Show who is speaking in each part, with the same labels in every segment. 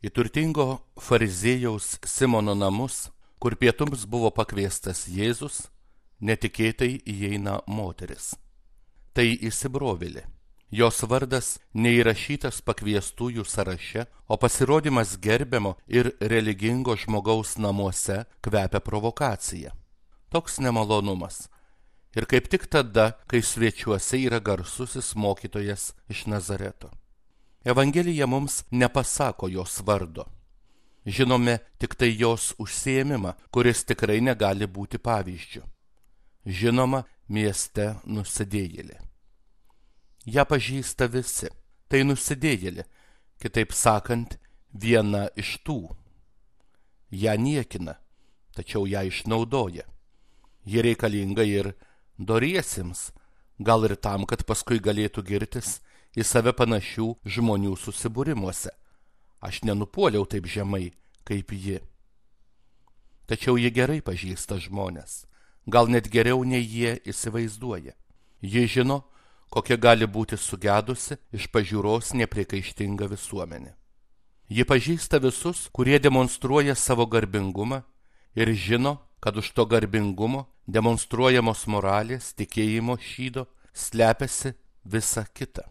Speaker 1: į turtingo fariziejaus Simono namus, kur pietums buvo pakviestas Jėzus, netikėtai įeina moteris. Tai įsibrovėlė. Jos vardas neįrašytas pakviestųjų sąraše, o pasirodymas gerbiamo ir religingo žmogaus namuose kvepia provokacija. Toks nemalonumas. Ir kaip tik tada, kai svečiuose yra garsusis mokytojas iš Nazareto. Evangelija mums nepasako jos vardo. Žinome tik tai jos užsiėmimą, kuris tikrai negali būti pavyzdžiu. Žinoma, mieste nusidėjėlė. Ja pažįsta visi. Tai nusidėjėlė, kitaip sakant, viena iš tų. Ja niekina, tačiau ją išnaudoja. Ji reikalinga ir doriesiems, gal ir tam, kad paskui galėtų girtis į save panašių žmonių susibūrimuose. Aš nenupuoliau taip žemai, kaip ji. Tačiau ji gerai pažįsta žmonės, gal net geriau nei jie įsivaizduoja. Ji žino, kokia gali būti sugedusi iš pažiūros nepriekaištinga visuomenė. Ji pažįsta visus, kurie demonstruoja savo garbingumą ir žino, kad už to garbingumo, demonstruojamos moralės, tikėjimo šydo, slepiasi visa kita.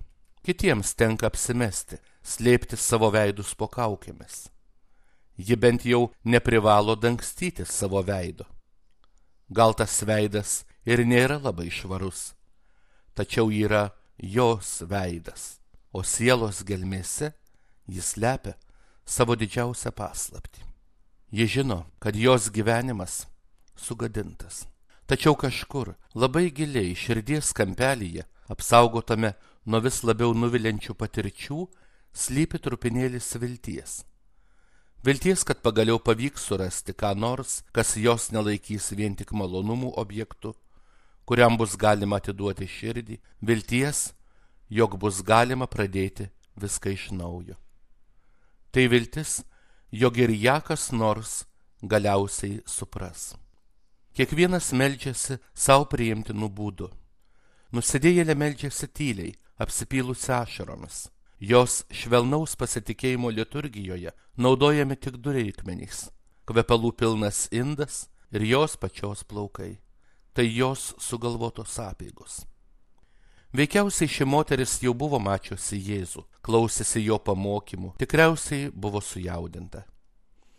Speaker 1: Kitiems tenka apsimesti, slėpti savo veidus po kaukėmis. Ji bent jau neprivalo dangstyti savo veido. Gal tas veidas ir nėra labai švarus, tačiau yra jos veidas, o sielos gelmėse jis slepia savo didžiausią paslaptį. Ji žino, kad jos gyvenimas sugadintas. Tačiau kažkur labai giliai širdies kampelyje, apsaugotame nuo vis labiau nuviliančių patirčių, slypi trupinėlis vilties. Vilties, kad pagaliau pavyks surasti ką nors, kas jos nelaikys vien tik malonumų objektu, kuriam bus galima atiduoti širdį, vilties, jog bus galima pradėti viską iš naujo. Tai viltis, jog ir ją kas nors galiausiai supras. Kiekvienas meldžiasi savo priimtinų būdų. Nusidėjėlė meldžiasi tyliai, apsipylusi ašaromis. Jos švelnaus pasitikėjimo liturgijoje naudojami tik du reikmenys – kvepalų pilnas indas ir jos pačios plaukai. Tai jos sugalvotos apeigos. Veikiausiai ši moteris jau buvo mačiusi Jėzų, klausėsi jo pamokymų, tikriausiai buvo sujaudinta.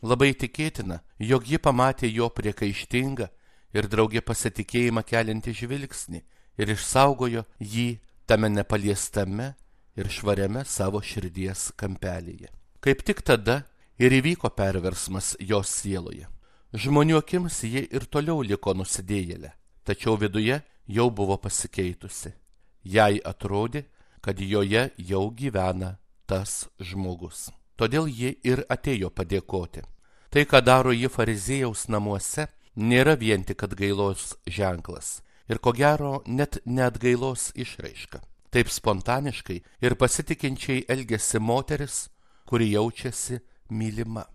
Speaker 1: Labai tikėtina, jog ji pamatė jo priekaištingą ir draugė pasitikėjimą keliantį žvilgsnį ir išsaugojo jį tame nepaliestame ir švariame savo širdies kampelyje. Kaip tik tada ir įvyko perversmas jos sieloje. Žmonių akims ji ir toliau liko nusidėjėlė, tačiau viduje jau buvo pasikeitusi. Jai atrodė, kad joje jau gyvena tas žmogus. Todėl ji ir atėjo padėkoti. Tai, ką daro ji fariziejaus namuose, nėra vien tik atgailos ženklas ir ko gero net neatgailos išraiška. Taip spontaniškai ir pasitikinčiai elgėsi moteris, kuri jaučiasi mylima.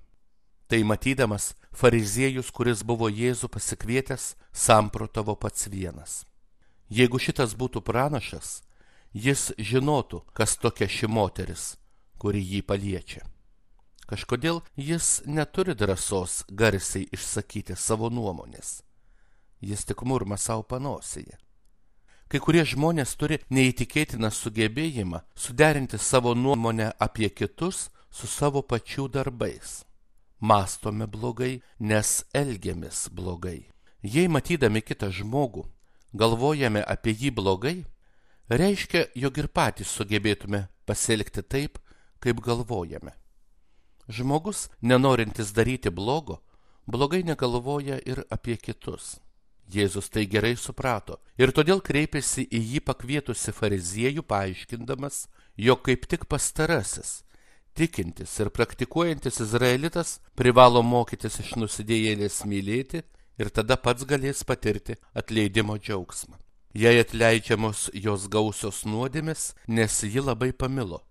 Speaker 1: Tai matydamas, fariziejus, kuris buvo Jėzų pasikvietęs, samprotavo pats vienas. Jeigu šitas būtų pranašas, jis žinotų, kas tokia ši moteris, kuri jį paliečia. Kažkodėl jis neturi drąsos garsiai išsakyti savo nuomonės. Jis tik murma savo panosėje. Kai kurie žmonės turi neįtikėtiną sugebėjimą suderinti savo nuomonę apie kitus su savo pačių darbais. Mąstome blogai, nes elgiamės blogai. Jei matydami kitą žmogų galvojame apie jį blogai, reiškia, jog ir patys sugebėtume pasielgti taip, kaip galvojame. Žmogus, nenorintis daryti blogo, blogai negalvoja ir apie kitus. Jėzus tai gerai suprato ir todėl kreipėsi į jį pakvietusi fariziejų, paaiškindamas, jog kaip tik pastarasis, tikintis ir praktikuojantis izraelitas privalo mokytis iš nusidėjėlės mylėti ir tada pats galės patirti atleidimo džiaugsmą. Jai atleidžiamos jos gausios nuodėmės, nes ji labai pamilo,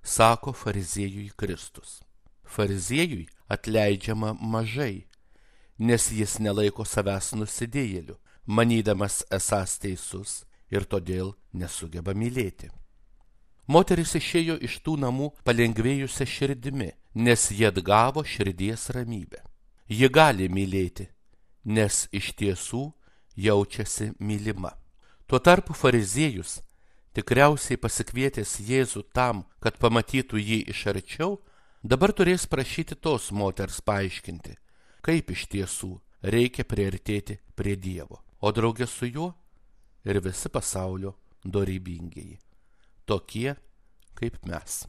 Speaker 1: sako fariziejui Kristus. Fariziejui atleidžiama mažai, nes jis nelaiko savęs nusidėjėliu, manydamas esąs teisus ir todėl nesugeba mylėti. Moteris išėjo iš tų namų palengvėjusią širdimi, nes jie atgavo širdies ramybę. Ji gali mylėti, nes iš tiesų jaučiasi mylima. Tuo tarpu fariziejus, tikriausiai pasikvietęs Jėzų tam, kad pamatytų jį iš arčiau, dabar turės prašyti tos moters paaiškinti, kaip iš tiesų reikia priartėti prie Dievo, o drauge su juo ir visi pasaulio dorybingieji, tokie kaip mes.